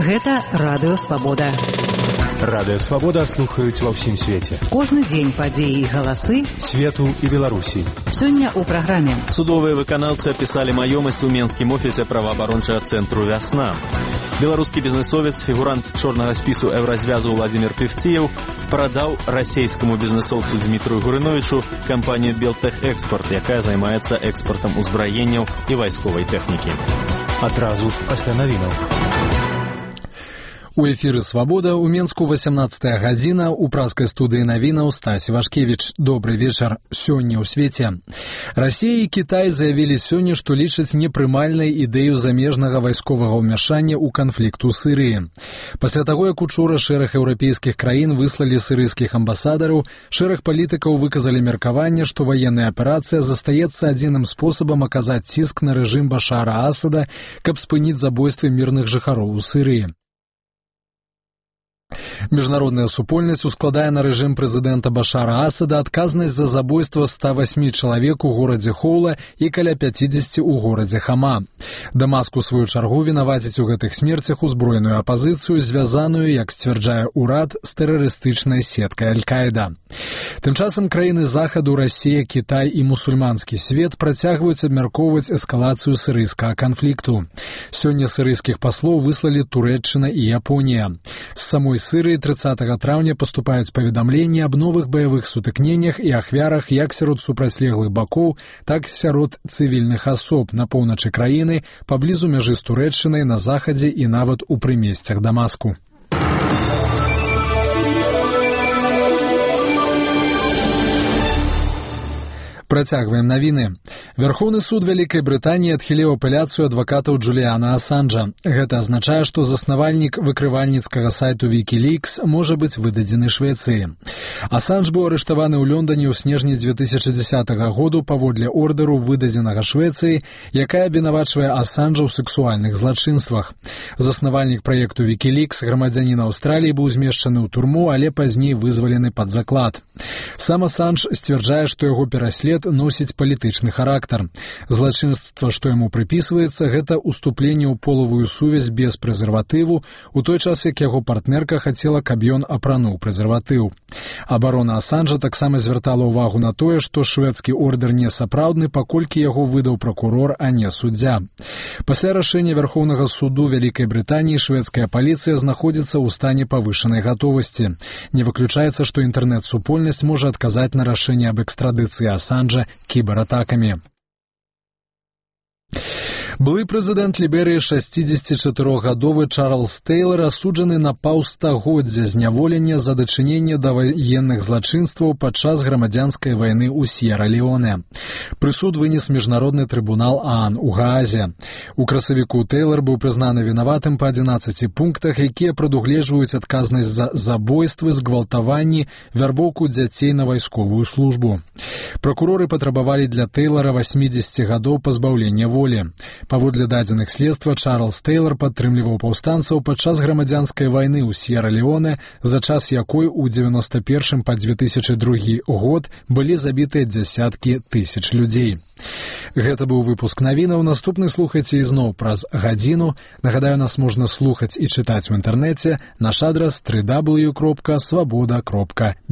Гэта Радыё Свабода. Радыё Свабода слухаюць ва ўсім свеце. Кожны дзень падзеі і галасы свету і Беларусі. Сёння ў праграме. Судовыя выканаўцы апісалі маёмасць у Менскім офісе праваабарончага цэнтру «Вясна». Беларускі бізнесовец, фігурант чорнага спісу Еўразвязу Владзімір Певціеў прадаў расійскаму бізнесоўцу Дмітрию Гурыновічу кампанію «Белтэхэкспорт», якая займаецца экспартам узбраенняў і вайсковай тэхнікі. Адразу пасля навінаў. У эфіры «Свабода» у Менску 18 гадзіна, у праскай студыі навінаў Стась Вашкевіч. Добры вечар. Сёння ў свеце. Расія і Кітай заявілі сёння, што лічаць непрымальнай ідэю замежнага вайсковага ўмяшання ў канфлікт у Сырыі. Пасля таго, як учора шэраг еўрапейскіх краін выслалі сырыйскіх амбасадараў, шэраг палітыкаў выказалі меркаванне, што ваенная аперацыя застаецца адзіным спосабам аказаць ціск на рэжым Башара Асада, каб спыніць забойствы мірных жыхароў у Сырыі. Міжнародная супольнасць ускладае на рэжым прэзідэнта Башара Асада адказнасць за забойства 108 чалавек у горадзе Хоула і каля 50 у горадзе Хама. Дамаск у сваю чаргу вінаваціць у гэтых смерцях узброеную апазіцыю, звязаную, як сцвярджае ўрад, з тэрарыстычнай сеткай Аль-Каіда. Тым часам краіны Захаду, Расія, Кітай і мусульманскі свет працягваюць абмяркоўваць эскалацыю сырыйскага канфлікту. Сёння сырыйскіх паслоў выслалі Турэччына і Японія. З самой Сырыі 30 траўня паступаюць паведамленні аб новых баявых сутыкненнях і ахвярах як сярод супрацьлеглых бакоў, так і сярод цывільных асоб на поўначы краіны, паблізу мяжы з Турэччынай, на захадзе і нават у прымесцях Дамаску. Працягваем навіны. Вярхоўны суд Вялікай Брытаніі адхіліў апеляцыю адвакатаў Джуліяна Асанжа. Гэта азначае, што заснавальнік выкрывальніцкага сайту Wikileaks можа быць выдадзены Швецыі. Асанж быў арыштаваны ў Лондоне ў снежні 2010 году паводле ордэру, выдадзенага Швецыі, якая абвінавачвае Асанжа ў сексуальных злачынствах. Заснавальнік праекту Wikileaks, грамадзянін Аўстраліі, быў змешчаны ў турму, але пазней вызвалены пад заклад. Сам Асанж сцвярджае, што яго пераслед носіць палітычны характар. Злачынства, што яму прыпісваецца, гэта ўступленне ў полавую сувязь без прэзерватыву, у той час, як яго партнерка хацела, каб ён апрануў прэзерватыў. Абарона Асанжа таксама звяртала ўвагу на тое, што шведскі ордэр не сапраўдны, паколькі яго выдаў пракурор, а не суддзя. Пасля рашэння Вярхоўнага суду Вялікай Брытаніі шведская паліцыя знаходзіцца ў стане павышанай гатовасці. Не выключаецца, што інтэрнэт-супольнасць можа адказаць на рашэнне аб экстрадыцыі Асанжа кібератакамі. Былы прэзідэнт Ліберыі 64-гадовы Чарльз Тэйлар асуджаны на паўстагоддзя зняволення за дачыненне да ваенных злачынстваў падчас грамадзянскай вайны ў С'ера-Леоне. Прысуд вынес міжнародны трыбунал ААН у Гаазе. У красавіку Тэйлар быў прызнаны вінаватым па 11 пунктах, якія прадугледжваюць адказнасць за забойствы, згвалтаванні, вярбоўку дзяцей на вайсковую службу. Пракуроры патрабавалі для Тэйлара 80 гадоў пазбаўлення волі. Паводле дадзеных следства, Чарльз Тэйлар падтрымліваў паўстанцаў падчас грамадзянскай вайны ў С'ера-Леоне, за час якой у 91 па 2002 год былі забітыя дзясяткі тысяч людзей. Гэта быў выпуск навінаў. Наступны слухайце ізноў праз гадзіну. Нагадаю, нас можна слухаць і чытаць у інтэрнэце. Наш адрас www.swaboda.belarus.